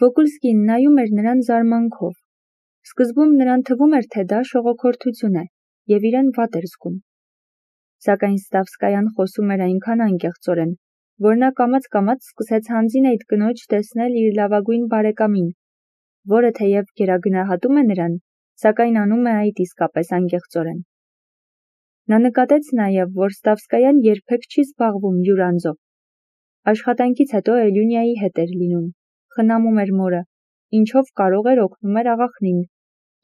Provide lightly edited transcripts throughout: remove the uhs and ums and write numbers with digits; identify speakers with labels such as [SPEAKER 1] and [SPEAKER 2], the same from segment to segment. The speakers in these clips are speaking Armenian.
[SPEAKER 1] Վոկուլսկին նայում էր նրան զարմանքով։ Սկզբում նրան թվում էր, թե դա շողոքորթություն է, և իրեն վատ էր զգում։ Սակայն Ստավսկայան խոսում էր այնքան անկեղծորեն, որ նա կամաց-կամաց սկսեց հանձին այդ կնոջ տեսնել իր լավագույն բարեկամին, որը թեև գերագնահատում է նրան, սակայն անում է այդ իսկապես անկեղծորեն։ Նա նկատեց նաև, որ Ստավսկայան երբեք չի զբաղվում յուր անձով։ Աշխատանքից հետո Էլյունիայի հետ էր լինում, խնամում էր մորը, ինչով կարող էր օգնում էր աղախնին,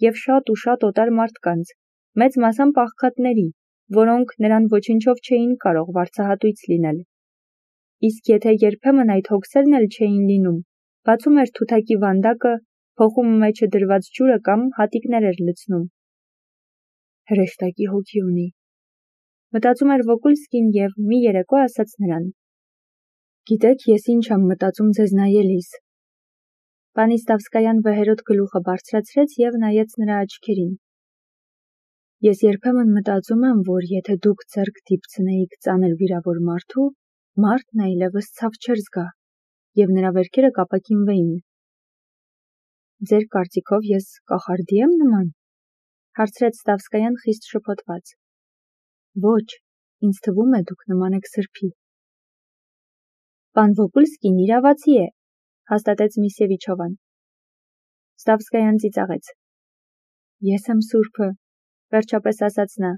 [SPEAKER 1] և շատ ու շատ օտար մարդկանց, մեծ մասամբ աղքատների, որոնք նրան ոչնչով չէին կարող վարձահատույց լինել։ Իսկ եթե երբեմն այդ հոգսերն էլ չէին լինում, բացում էր թութակի վանդակը, փոխում մեջը դրված ջուրը կամ հատիկներ էր լցնում։ Հրեշտակի հոգի ունի, մտածում էր Վոկուլսկին և մի երեկո ասաց նրան. «Գիտեք, ես ինչ եմ մտածում ձեզ նայելիս»։ Պանի Ստավսկայան վեհերոտ գլուխը բարձրացրեց և նայեց նրա աչքերին։ «Ես երբեմն մտածում եմ, որ եթե դուք ձեռք դիպցնեիք ծանր վիրավոր մարդու, մարդն այլևս ցավ չէր զգա, և նրա վերքերը կապակինվեին»։ «Ձեր կարծիքով ես կախարդի եմ նման»։ Հարցրեց Ստավսկայան խիստ շփոթված։ Ոչ, ինձ թվում է դուք նման եք սրբի։ Պան Վոկուլսկին իրավացի է, հաստատեց Միսևիչովան։ Ստավսկայան ծիծաղեց։ Ես եմ սուրբը, վերջապես ասաց նա։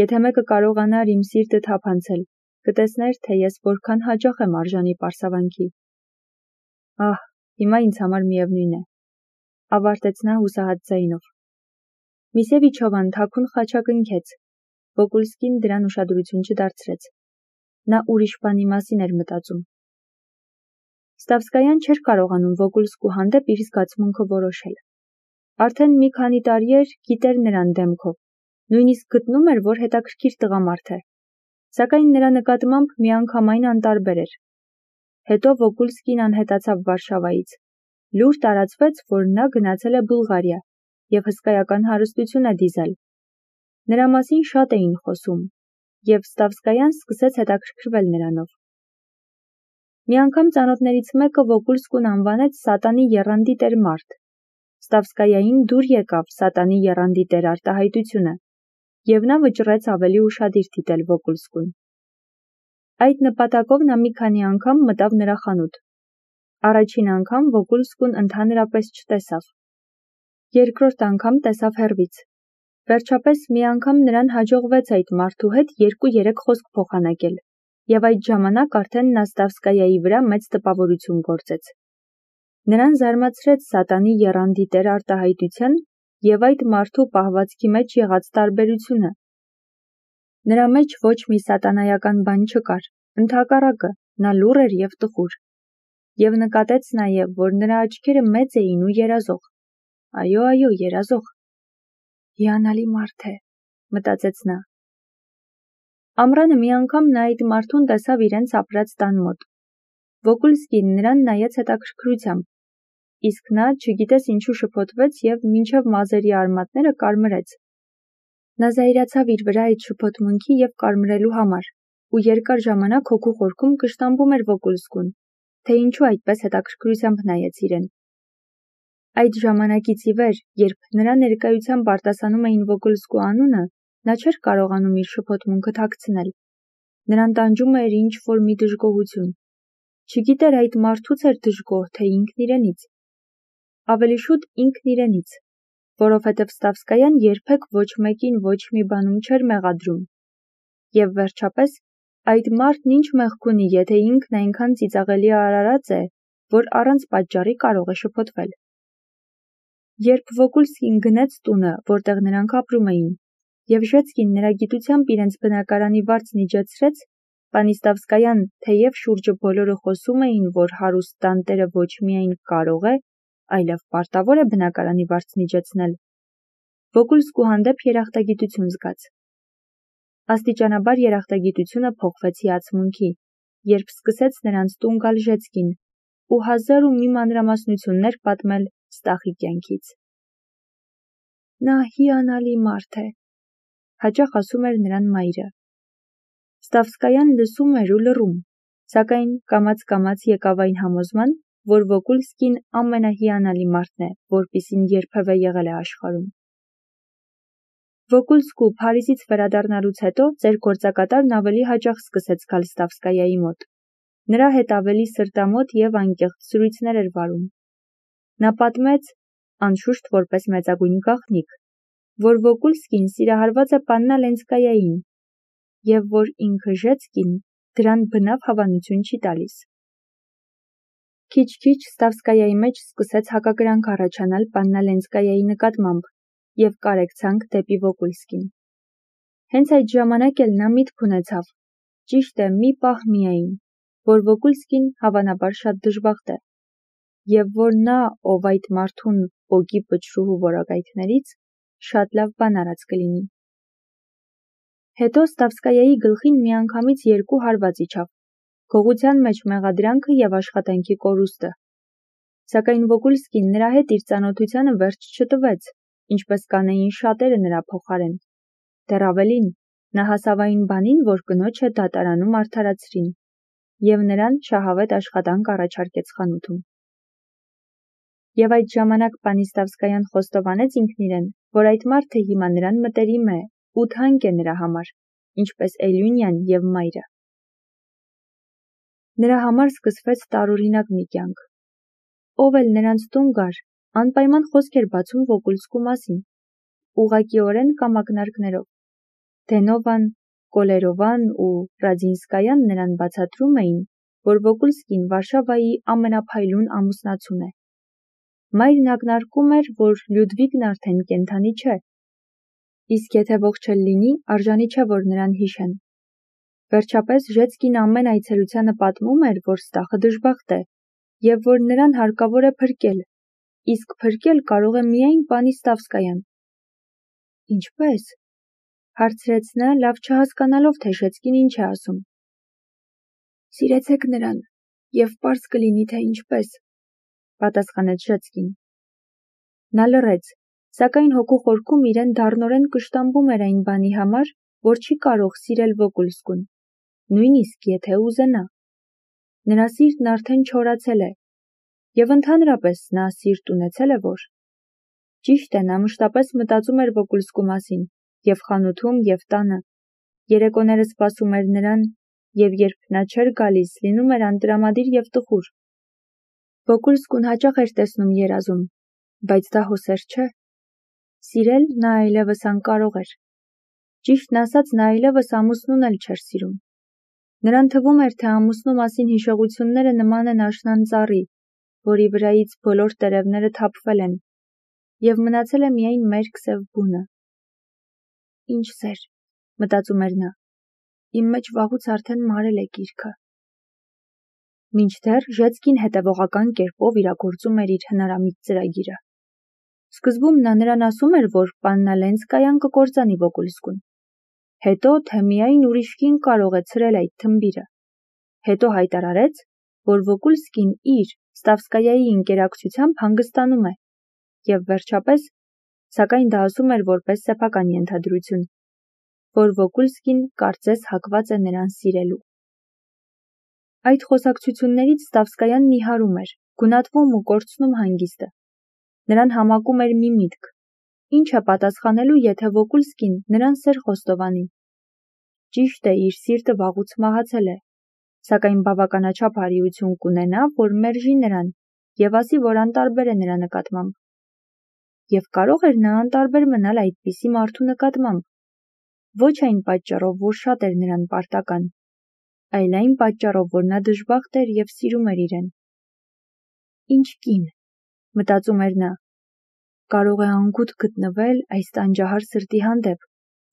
[SPEAKER 1] Եթե մեկը կարողանար իմ սիրտը թափանցել, կտեսներ, թե ես որքան հաճախ եմ արժանի պարսավանքի։ Ահ, հիմա ինձ համար միևնույն է, ավարտեց նա հուսահատ ձայնով։ Միսևիչովան թաքուն խաչակնքեց։ Վոկուլսկին դրան ուշադրություն չդարձրեց։ Նա ուրիշ բանի մասին էր մտածում։ Ստավսկայան չէր կարողանում Վոկուլսկու հանդեպ իր զգացմունքը որոշել։ Արդեն մի քանի տարի էր գիտեր նրան դեմքով, նույնիսկ գտնում էր, որ հետաքրքիր տղամարդ է, սակայն նրա նկատմամբ միանգամայն անտարբեր էր։ Հետո Վոկուլսկին անհետացավ Վարշավայից։ Լուր տարածվեց, որ նա գնացել է Բուլղարիա և հսկայական հարստություն է դիզել։ Նրա մասին շատ էին խոսում, և Ստավսկայան սկսեց հետաքրքրվել նրանով։ Մի անգամ ծանոթներից մեկը Վոկուլսկուն անվանեց Սատանի եռանդի տեր մարդ։ Ստավսկայային դուր եկավ Սատանի եռանդի տեր արտահայտությունը, և նա վճռեց ավելի ուշադիր դիտել Վոկուլսկուն։ Այդ նպատակով նա մի քանի անգամ մտավ նրա խանութ։ Առաջին անգամ Վոկուլսկուն ընդհանրապես չտեսավ։ Երկրորդ անգամ տեսավ հեռվից։ Վերջապես մի անգամ նրան հաջողվեց այդ մարդու հետ 2-3 խոսք փոխանակել, և այդ ժամանակ արդեն նա Ստավսկայայի վրա մեծ տպավորություն գործեց։ Նրան զարմացրեց Սատանի եռանդի տեր արտահայտության և այդ մարդու պահվածքի մեջ եղած տարբերությունը։ Նրա մեջ ոչ մի սատանայական բան չկար, ընդհակառակը, նա լուռ էր և տխուր։ Եվ նկատեց նաև, որ նրա աչքերը մեծ էին ու երազող։ Այո, երազող։ Հիանալի մարդ է, մտածեց նա։ Ամռանը մի անգամ նա այդ մարդուն տեսավ իրենց ապրած տան մոտ։ Վոկուլսկին նրան նայեց հետաքրքրությամբ, իսկ նա չգիտես ինչու շփոթվեց և մինչև մազերի արմատները կարմրեց։ Նա զայրացավ իր վրա այդ շփոթմունքի և կարմրելու համար, ու երկար ժամանակ հոգու խորքում կշտամբում էր Վոկուլսկուն, թե ինչու այդպես հետաքրքրությամբ նայեց իրեն։ Այդ ժամանակից ի վեր, երբ նրա ներկայությամբ արտասանում էին Վոկուլսկու անունը, նա չէր կարողանում իր շփոթմունքը թաքցնել։ Նրան տանջում էր ինչ-որ մի դժգոհություն։ Չգիտեր այդ մարդուց էր դժգոհ, թե ինքն իրենից։ Ավելի շուտ ինքն իրենից, որովհետև Ստավսկայան երբեք ոչ մեկին ոչ մի բանում չէր մեղադրում։ Եվ վերջապես, այդ մարդն ինչ մեղք ունի, եթե ինքն այնքան ծիծաղելի արարած է, որ առանց պատճառի կարող է շփոթվել։ Երբ Վոկուլսկին գնեց տունը, որտեղ նրանք ապրում էին, և Ժեցկին նրա գիտությամբ իրենց բնակարանի վարձն իջեցրեց, պանի Ստավսկայան, թեև շուրջը բոլորը խոսում էին, որ հարուստ տանտերը ոչ միայն կարող է, այլև պարտավոր է բնակարանի վարձն իջեցնել, Վոկուլսկու հանդեպ երախտագիտություն զգաց։ Աստիճանաբար երախտագիտությունը փոխվեց հիացմունքի, երբ սկսեց նրանց տուն գալ Ժեցկին ու 1001 մանրամասնություններ պատմել Ստախի կյանքից։ Նա հիանալի մարդ է, հաճախ ասում էր նրան մայրը։ Ստավսկայան լսում էր ու լռում, սակայն կամաց-կամաց եկավ այն համոզման, որ Վոկուլսկին ամենահիանալի մարդն է, որպիսին երբևէ եղել է աշխարհում։ Վոկուլսկու Փարիզից վերադառնալուց հետո ծեր գործակատարն ավելի հաճախ սկսեց գալ Ստավսկայայի մոտ։ Նրա հետ ավելի սրտամոտ և անկեղծ զրույցներ էր վարում։ Նա պատմեց, անշուշտ որպես մեծագույն գաղտնիք, որ Վոկուլսկին սիրահարված է Պաննա Լենսկայային, և որ ինքը Ժեցկին դրան բնավ հավանություն չի տալիս։ Քիչ-քիչ Ստավսկայայի մեջ սկսեց հակակրանք առաջանալ Պաննա Լենսկայայի նկատմամբ և կարեկցանք դեպի Վոկուլսկին։ Հենց այդ ժամանակ էլ նա միտք ունեցավ, ճիշտ է մի պահ միայն, որ Վոկուլսկին հավանաբար շատ դժբախտ է, և որ նա, ով այդ մարդուն պոկի պչրուհու որակայթներից, շատ լավ բան արած կլինի։ Հետո Ստավսկայայի գլխին միանգամից երկու հարված իջավ, գողության մեջ մեղադրանքը և աշխատանքի կորուստը։ Սակայն Վոկուլսկին նրա հետ իր ծանոթությանը վերջ չտվեց, ինչպես կանեին շատերը նրա փոխարեն։ Դեռ ավելին, նա հասավ այն բանին, որ կնոջը դատարանում արդարացրին, և նրան շահավետ աշխատանք առաջարկեց խանութում։ Եվ այդ ժամանակ պանի Ստավսկայան խոստովանեց ինքն իրեն, որ այդ մարդը հիմա նրան մտերիմ է ու թանկ է նրա համար, ինչպես Էլյունյան և մայրը։ Նրա համար սկսվեց տարօրինակ մի կյանք։ Ով էլ նրանց տուն գար, անպայման խոսք էր բացում Վոկուլսկու մասին, ուղղակիորեն կամ ակնարկներով։ Դենովան, Կոլերովան ու Ռադզինսկայան նրան բացատրում էին, որ Վոկուլսկին Վարշավայի ամենափայլուն ամուսնացուն է։ Մայրն ակնարկում էր, որ Լյուդվիգն արդեն կենդանի չէ, իսկ եթե ողջ էլ լինի, արժանի չէ, որ նրան հիշեն։ Վերջապես Ժեցկին ամեն այցելությանը պատմում էր, որ Ստախը դժբախտ է, և որ նրան հարկավոր է փրկել, իսկ փրկել կարող է միայն պանի Ստավսկայան։ Ինչպե՞ս, հարցրեց նա, լավ չհասկանալով, թե Ժեցկին ինչ է ասում։ Սիրեցեք նրան, և պարզ կլինի, թե ինչպես, պատասխանեց Ժեցկին։ Նա լռեց, սակայն հոգու խորքում իրեն դառնորեն կշտամբում էր այն բանի համար, որ չի կարող սիրել Վոկուլսկուն, նույնիսկ եթե ուզենա։ Նրա սիրտն արդեն չորացել է, և ընդհանրապես նա սիրտ ունեցել է, որ։ Ճիշտ է, նա մշտապես մտածում էր Վոկուլսկու մասին, և խանութում, և տանը, երեկոները սպասում էր նրան, և երբ նա չէր գալիս, լինում էր անտրամադիր և տխուր։ Վոկուլսկուն հաճախ էր տեսնում երազում, բայց դա հոսեր չէ։ Սիրել նա այլևս անկարող էր։ Ճիշտն ասած, նա այլևս ամուսնուն էլ չէր սիրում։ Նրան թվում էր, թե ամուսնու մասին հիշողությունները նման են աշնան ծառի, որի վրայից բոլոր տերևները թափվել են, և մնացել է միայն մերկ սև բունը։ Ինչ սեր, մտածում էր նա, իմ մեջ վաղուց արդեն մարել է գիրքը։ Մինչդեռ Ժեցկին հետևողական կերպով իրագործում էր իր հնարամիտ ծրագիրը։ Սկզբում նա նրան ասում էր, որ Պաննա Լենսկայան կկործանի Վոկուլսկուն։ Հետո, թե միայն ուրիշ կին կարող է ցրել այդ թմբիրը։ Հետո հայտարարեց, որ Վոկուլսկին իր Ստավսկայայի ընկերակցությամբ հանգստանում է, և վերջապես, սակայն դա ասում էր որպես սեփական ենթադրություն, որ Վոկուլսկին կարծես հակված է նրան սիրելու։ Այդ խոսակցություններից Ստավսկայան նիհարում էր, գունատվում ու կորցնում հանգիստը։ Նրան համակում էր մի միտք. ինչ է պատասխանելու, եթե Վոկուլսկին նրան սեր խոստովանի։ Ճիշտ է, իր սիրտը վաղուց մահացել է, սակայն բավականաչափ հարիություն կունենա, որ մերժի նրան և ասի, որ անտարբեր է նրա նկատմամբ։ Եվ կարող էր նա անտարբեր մնալ այդպիսի մարդու նկատմամբ, ոչ այն պատճառով, որ շատ էր նրան պարտական, այլ այն պատճառով, որ նա դժբախտ էր և սիրում էր իրեն։ Ինչ կին, մտածում էր նա, կարող է անգութ գտնվել այս տանջահար սրտի հանդեպ,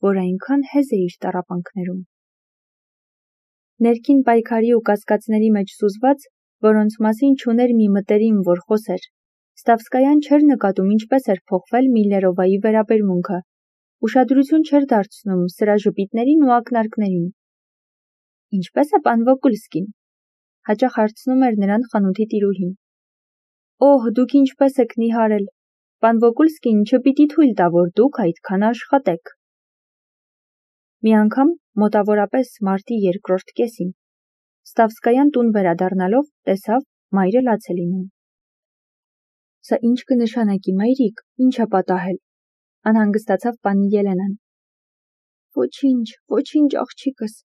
[SPEAKER 1] որ այնքան հեզ է իր տառապանքներում։ Ներքին պայքարի ու կասկածների մեջ սուզված, որոնց մասին չուներ մի մտերիմ, որ խոսեր, Ստավսկայան չէր նկատում ինչպես էր փոխվել Միլլերովայի վերաբերմունքը, ուշադրություն չէր դարձնում սրա ժպիտներին ու ակնարկներին։ Ինչպե՞ս է պան Վոկուլսկին, հաճախ հարցնում էր նրան խանութի տիրուհին։ Օհ, դուք ինչպես եք նիհարել, պան Վոկուլսկին չպիտի թույլ տա, որ դուք այդքան աշխատեք։ Մի անգամ, մոտավորապես մարտի երկրորդ կեսին, Ստավսկայան տուն վերադառնալով տեսավ, Մայրը լաց է լինում։ Սա ինչ կնշանակի, մայրիկ, ինչ է պատահել, անհանգստացավ պանի Ելենան։ Ոչինչ աղջիկս,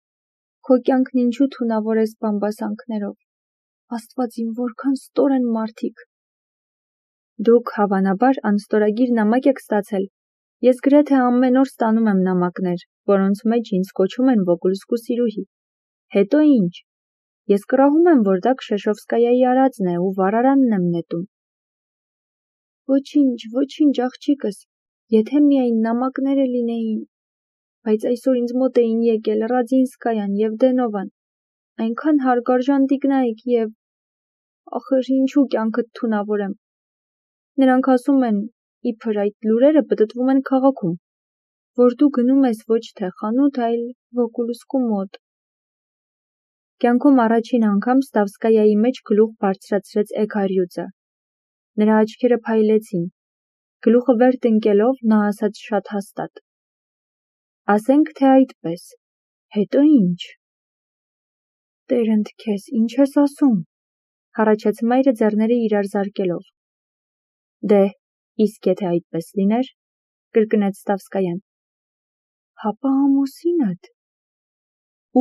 [SPEAKER 1] քո կյանքն ինչու թունավոր ես բամբասանքներով, Աստված իմ որքան ստոր են մարդիկ։ Դուք հավանաբար անստորագիր նամակ եք ստացել, ես գրեթե ամեն օր ստանում եմ նամակներ, որոնց մեջ ինձ կոչում են Վոգոլսկու սիրուհի, հետո ինչ, ես կռահում եմ, որ դա Քշեշովսկայայի արածն է ու վառարանն եմ նետում։ Ոչինչ աղջիկս, եթե միայն նամակները լինեին, բայց այսօր ինձ մոտ էին եկել Ռադզինսկայան և Դենովան, այնքան հարգարժան տիկնայք և, ախր ինչու կյանքդ թունավորեմ։ Նրանք ասում են, իբր այդ լուրերը պտտվում են քաղաքում, որ դու գնում ես ոչ թե խանութ, այլ Վոգոլսկու մոտ։ Կյանքում առաջին անգամ Ստավսկայայի մեջ գլուխ բարձրացրեց Էգարյուծը։ Նրա աչքերը փայլեցին, գլուխը վեր տնկելով նա ասաց շատ հաստատ. ասենք թե այդպես, հետո ինչ։ Տեր ընդ քեզ, ինչ ես ասում, հառաչեց մայրը ձեռները իրար զարկելով։ Դե, իսկ եթե այդպես լիներ, կրկնեց Ստավսկայան։ Հապա ամուսինդ։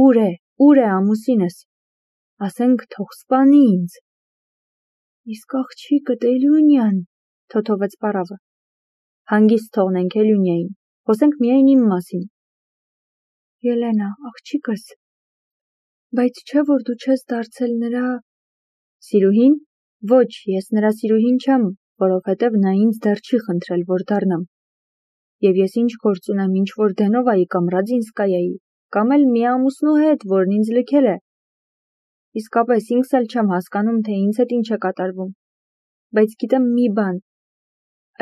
[SPEAKER 1] Ուր է ամուսինս, ասենք թող սպանի ինձ։ Իսկ աղջիկդ Էլյունյան, թոթովեց պարավը։ Հանգիստ թողնենք Էլյունյային, խոսենք միայն իմ մասին։ Ելենա, աղջիկս, բայց չէ որ դու չես դարձել նրա… Սիրուհին։ Ոչ, ես նրա սիրուհին չեմ, որովհետև նա ինձ դեռ չի խնդրել, որ դառնամ։ Եվ ես ինչ գործ ունեմ ինչ-որ Դենովայի կամ Ռադզինսկայայի, կամ էլ մի ամուսնու հետ, որն ինձ լքել է։ Իսկապես ինքս էլ չեմ հասկանում, թե ինձ հետ ինչ է կատարվում։ Բայց գիտեմ մի բան,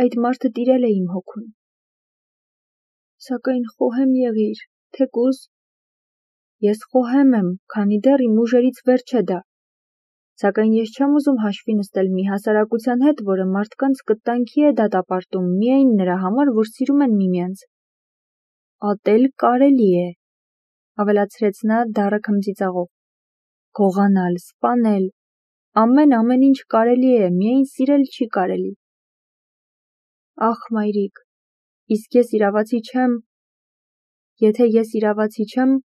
[SPEAKER 1] այդ մարդը տիրել է իմ հոգուն։ Սակայն խոհեմ եղիր, թեկուզ… Ես խոհեմ եմ, քանի դեռ իմ ուժերից վեր չէ դա։ Սակայն ես չեմ ուզում հաշվի նստել մի հասարակության հետ, որը մարդկանց կտանքի է դատապարտում միայն նրա համար, որ սիրում են միմյանց։ Ատել կարելի է, ավելացրեց նա դառը քմծիծաղով։ Գողանալ, սպանել, ամեն ինչ կարելի է, միայն սիրել չի կարելի։ Ախ, մայրիկ, իսկ ես իրավացի չեմ։ Եթե ես իրավացի չեմ,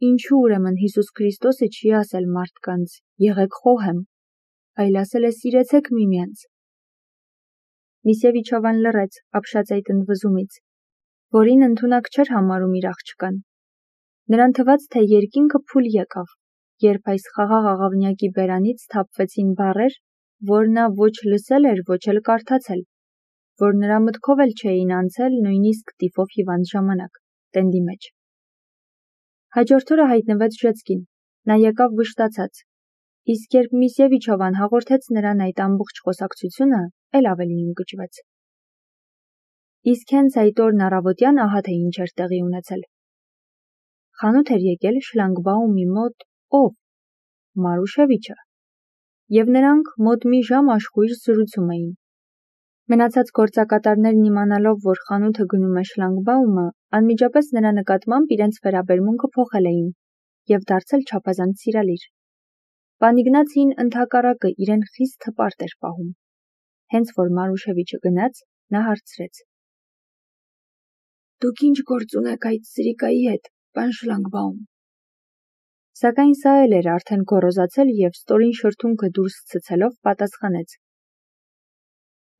[SPEAKER 1] ինչու ուրեմն Հիսուս Քրիստոսը չի ասել մարդկանց. եղեք խոհեմ, այլ ասել է սիրեցեք միմյանց։ Միսևիչովան լռեց ապշած այդ ընդվզումից, որին ընդունակ չէր համարում իր աղջկան։ Նրան թվաց, թե երկինքը փուլ եկավ, երբ այս խաղաղ աղավնյակի բերանից թափվեցին բառեր, որ նա ոչ լսել էր, ոչ էլ կարդացել, որ նրա մտքով էլ չէին անցել նույնիսկ տիֆով հիվանդ ժամանակ, տենդի մեջ։ Հաջորդ օրը հայտնվեց Ժեցկին, նա եկավ վշտացած, իսկ երբ Միսևիչովան հաղորդեց նրան այդ ամբողջ խոսակցությունը, էլ ավելի ընկճվեց։ Իսկ հենց այդ օրն առավոտյան ահա թե ինչ էր տեղի ունեցել։ Խանութ էր եկել շլանգբաումի մոտ ով։ Մարուշևիչը։ Եվ նրանք մոտ մի ժամ աշխույժ զրուցում էին։ Մնացած գործակատարներն իմանալով, որ խանութը գնում է շլանգբաումը, անմիջապես նրա նկատմամբ իրենց վերաբերմունքը փոխել էին և դարձել չափազանց սիրալիր։ Պան Իգնացին ընդհակառակը իրեն խիստ հպարտ էր պահում։ Հենց որ Մարուշևիչը գնաց, նա հարցրեց. Դուք ինչ գործ ունեք այդ սրիկայի հետ, պան Շլանգբաում։ Սակայն սա էլ էր արդեն գոռոզացել և ստորին շրթունքը դուրս ցցելով պատասխանեց.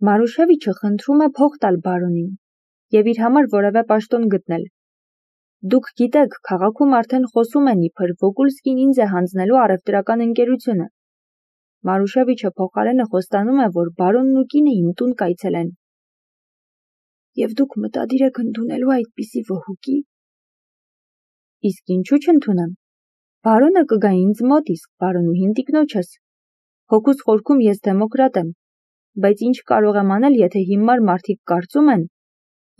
[SPEAKER 1] Մարուշևիչը խնդրում է փող տալ բարոնին և իր համար որևէ պաշտոն գտնել։ Դուք գիտեք, քաղաքում արդեն խոսում են իբր Վոգոլսկին ինձ է հանձնելու առևտրական ընկերությունը։ Մարուշևիչը փոխարենը խոստանում է, որ բարոնն ու կինը իմ տուն կայցելեն։ Եվ դուք մտադիր եք ընդունելու այդպիսի վհուկի։ Իսկ ինչու չընդունեմ։ Բարոնը կգա ինձ մոտ, իսկ բարոնուհին տիկնոջս։ Հոգուս խորքում ես դեմոկրատ եմ, բայց ինչ կարող եմ անել, եթե հիմար մարդիկ կարծում են,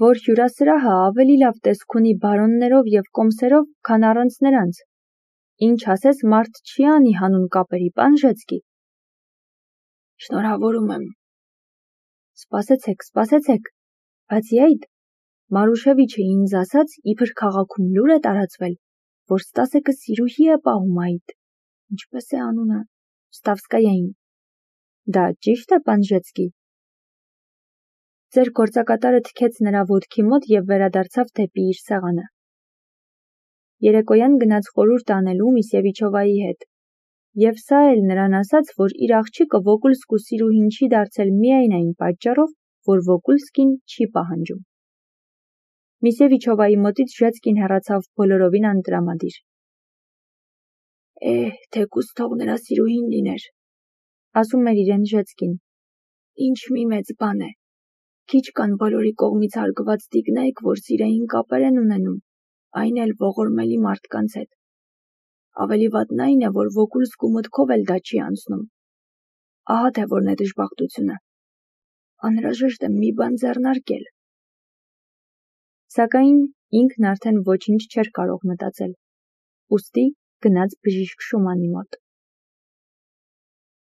[SPEAKER 1] որ հյուրասրահը ավելի լավ տեսք ունի բարոններով և կոմսերով, քան առանց նրանց։ Ինչ ասես մարդ չի անի հանուն կապերի, պան Ժեցկի։ Շնորհավորում եմ։ Սպասեցեք, բացի այդ, Մարուշևիչը ինձ ասաց, իբր քաղաքում լուր է տարածվել, որ Ստասեկը սիրուհի է պահում այդ, ինչպես է անունը, Ստավսկայային։ Դա ճիշտ է, պան Ժեցկի։ Ձեր գործակատարը թքեց նրա ոտքի մոտ և վերադարձավ դեպի իր սեղանը։ Երեկոյան գնաց խորհուրդ անելու Միսևիչովայի հետ, և սա էլ նրան ասաց, որ իր աղջիկը Վոկուլսկու սիրուհին չի դարձել միայն այն պատճառով, որ Վոկուլսկին չի պահանջում։ Միսևիչովայի մոտից Ժեցկին հեռացավ բոլորովին անտրամադիր։ Թեկուզ թող նրա սիրուհին լիներ, ասում էր իրեն Ժեցկին։ Ինչ մի մեծ բան է։ Քիչ կան բոլորի կողմից հարգված տիկնայք, որ սիրային կապեր են ունենում, այն էլ ողորմելի մարդկանց հետ։ Ավելի վատն այն է, որ Վոկուլսկու մտքով էլ դա չի անցնում։ Ահա թե որն է դժբախտությունը։ Անհրաժեշտ է մի բան ձեռնարկել։ Սակայն ինքն արդեն ոչինչ չէր կարող մտածել։ Ուստի գնաց բժիշկ Շումանի մոտ։